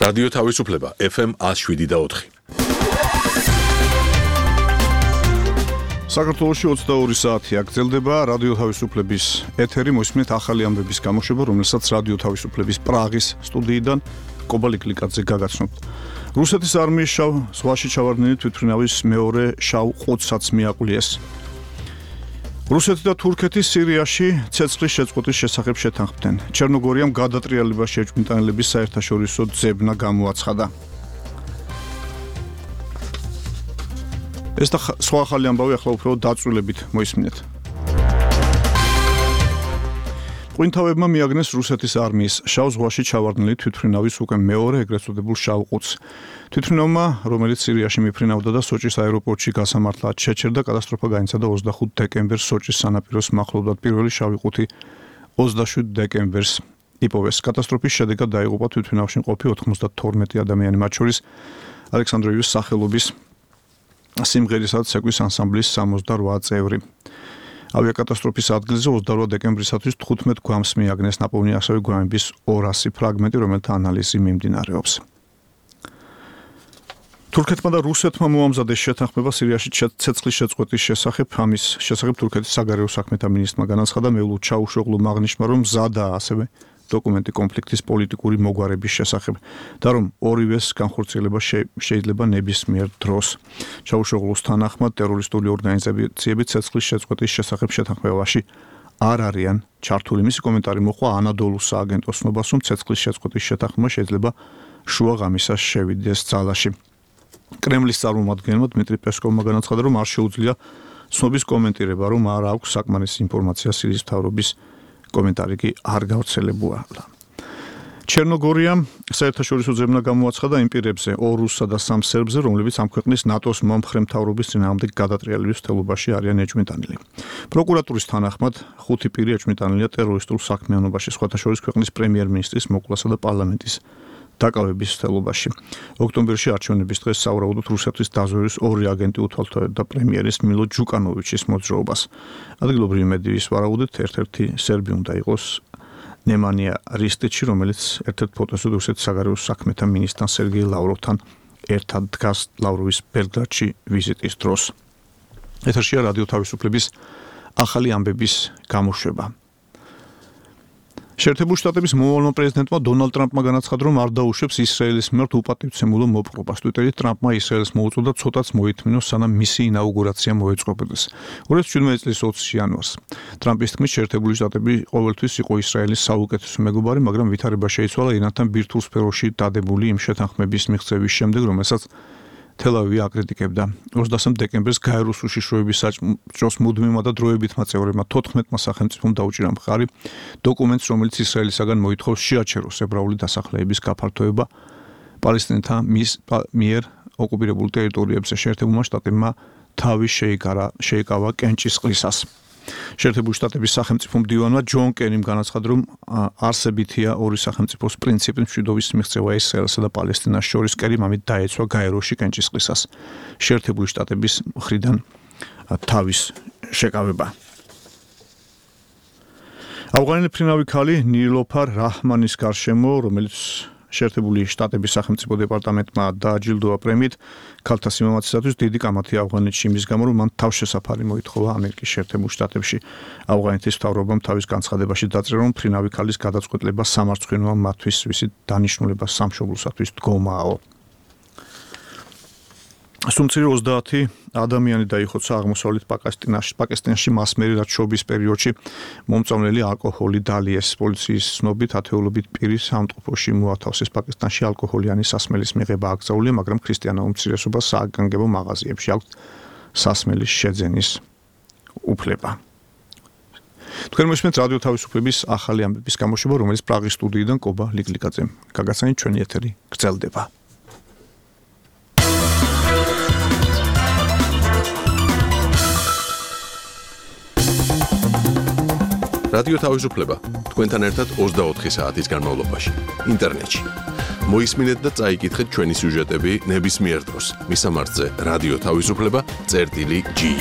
რადიო თავისუფლება FM 107.4. საქართველოში 22 საათი აგრძელდება რადიო თავისუფლების ეთერი, მოსმენთ ახალი ამბების გამოშვება, რომელსაც რადიო თავისუფლების პრაღის სტუდიიდან კობა ლიკლიკაძე გაგაცნობთ. რუსეთის არმიის შავ ზღვაში ჩავარდნილი თვითმფრინავის მეორე შავ ყუთსაც მიაყულიეს. რუსეთი და თურქეთი სირიაში ცეცხლის შეწყვეტის შესახებ შეთანხმდნენ. ჩერნოგორიამ გადატრიალებას შეჭმიტანილების საერთაშორისო ძებნა გამოაცხადა. ეს და სხვა ახალი ამბავი ახლა უფრო დაწვრილებით მოისმინეთ. ყვინთავებმა მიაგნეს რუსეთის არმიის შავ ზღვაში ჩავარდნილი თვითმფრინავის უკვე მეორე ეგრეთ წოდებულ შავ ყუთს. თვითმფრინავმა, რომელიც სირიაში მიფრინავდა და სოჭის აეროპორტში გასამართლად შეჩერდა, კატასტროფა განიცადა 25 დეკემბერს სოჭის სანაპიროს მახლობლად. პირველი შავი ყუთი 27 დეკემბერს იპოვეს. კატასტროფის შედეგად დაიღუპა თვითმფრინავში მყოფი 92 ადამიანი, მათ შორის ალექსანდროვის სახელობის სიმღერისა და ცეკვის ანსამბლის 68 წევრი. ავიაკატასტროფის ადგილზე 28 დეკემბრისათვის 15 გვამს მიაგნეს. ნაპოვნია ასევე გვამების 200 ფრაგმენტი, რომელთა ანალიზი მიმდინარეობს. თურქეთმა და რუსეთმა მოამზადეს შეთანხმება სირიაში ცეცხლის შეწყვეტის შესახებ. ამის შესახებ თურქეთის საგარეო საქმეთა მინისტრმა განაცხადა მევლუდ ჩაუშოღლუმ აღნიშნა, რომ მზადაა ასევე დოკუმენტი კონფლიქტის პოლიტიკური მოგვარების შესახებ და რომ ორივეს განხორციელება შეიძლება ნებისმიერ დროს. ჩაუშოღლუს თანახმად ტერორისტული ორგანიზაციები ცეცხლის შეწყვეტის შესახებ შეთანხმებაში არ არიან ჩართული. მისი კომენტარი მოჰყვა ანადოლუს სააგენტოს ცნობას, რომ ცეცხლის შეწყვეტის შეთანხმება შეიძლება შუა ღამისას შევიდეს ძალაში. კრემლის წარმომადგენელმა დმიტრი პესკოვმა განაცხადა, რომ არ შეუძლია ცნობის კომენტირება, რომ არ აქვს საკმარისი ინფორმაცია სირიის მთავრობის კომენტარი კი არ გავრცელებულა. ჩერნოგორიამ საერთაშორისო ძებნა გამოაცხადა იმ პირებზე 2 რუსსა და 3 სერბზე, რომლებიც ამ ქვეყნის ნატოს მომხრე მთავრობის წინააღმდეგ გადატრიალების მცდელობაში არიან ეჭვმიტანილი. პროკურატურის თანახმად 5 პირი ეჭვმიტანილია ტერორისტულ საქმიანობაში, სხვათა შორის ქვეყნის პრემიერ-მინისტრის მოკლასა და პარლამენტის დაკავების მცდელობაში. ოქტომბერში არჩევნების დღეს სავარაუდოდ რუსეთის დაზვერვის 2 აგენტი უთვალთვალებდა პრემიერის მილო ჯუკანოვიჩის მოძრაობას. ადგილობრივი მედიის ვარაუდით ერთ-ერთი სერბი უნდა იყოს ნემანია რისტიჩი, რომელიც ერთ-ერთ ფოტოზე რუსეთის საგარეო საქმეთა მინისტრთან სერგეი ლავროვთან ერთად დგას ლავროვის ბელგრადში ვიზიტის დროს. ეთერშია რადიო თავისუფლების ახალი ამბების გამოშვება. შეერთებული შტატების მოვალეო პრეზიდენტმა დონალდ ტრამპმა განაცხადა, რომ არ დაუშვებს ისრაელის მიმართ უპატივცემულო მოპყრობას. ტვიტერით ტრამპმა ისრაელს მოუწოდა ცოტაც მოითმინოს, სანამ მისი ინაუგურაცია მოეწყობოდეს. 2017 წლის 20 იანვარს. ტრამპის თქმით, შეერთებული შტატები ყოველთვის იყო ისრაელის საუკეთესო მეგობარი, მაგრამ ვითარება შეიცვალა ირანთან ბირთვულ სფეროში დადებული იმ შეთანხმების მიღწევის შემდეგ, რომელსაც თელ-ავივი აკრიტიკებდა. 23 დეკემბერს გაეროს უშიშროების საჭროს მუდმივმა და დროებითმა წევრებმა 14 სახელმწიფომ დაუჭირა მხარი დოკუმენტს, რომელიც ისრაელისაგან მოითხოვს შეაჩეროს ებრაული დასახლების გაფართოება პალესტინელთა მიერ ოკუპირებულ ტერიტორიებზე. შეერთებულმა შტატებმა თავი შეიკავა კენჭისყრისას. შეერთებული შტატების სახელმწიფო მდივანმა ჯონ კერიმ განაცხადა, რომ არსებითია ორი სახელმწიფოს პრინციპის მშვიდობის მიღწევა ისრაელსა და პალესტინას შორის. კერიმ ამით დაეცვა გაეროში კენჭისყრისას შეერთებული შტატების მხრიდან თავის შეკავება. ავღანელი ფრინავი ქალი ნილოფარ რაჰმანის გარშემო, რომელიც შეერთებული შტატების სახელმწიფო დეპარტამენტმა დააჯილდოა პრემიით ქალთა სიმამაცისათვის, დიდი კამათი ავღანეთში იმის გამო, რომ მან თავშესაფარი მოითხოვა ამერიკის შეერთებულ შტატებში. ავღანეთის მთავრობამ თავის განცხადებაში დაწერა, რომ ფრინავი ქალის გადაწყვეტილება სამარცხვინოა მათთვის, ვისი დანიშნულება სამშობლოსათვის დგომაო. სუმცირე 30 ადამიანი დაიხოცა აღმოსავლეთ პაკისტანში მასმერი რჩობის პერიოდში. მომწამლელი ალკოჰოლი დალიეს. პოლიციის ცნობით ათეულობით პირი სამტყოფოში მოათავსეს. პაკისტანში ალკოჰოლიანი სასმელის მიღება აკრძალულია, მაგრამ ქრისტიანულ უმცირესობას საგანგებო მაღაზიებში აქვს სასმელის შეძენის უფლება. თქვენ მოსმენთ რადიო თავისუფლების ახალი ამბების გამოშვება, რომელიც პრაღის სტუდიიდან კობა ლიკლიკაძემ გაგაცანით. ჩვენი ეთერი გრძელდება. რადიო თავისუფლება თქვენთან ერთად 24 საათის განმავლობაში ინტერნეტში. მოისმინეთ და წაიკითხეთ ჩვენი სიუჟეტები ნებისმიერ დროს. მისამართზე რადიო თავისუფლება.gi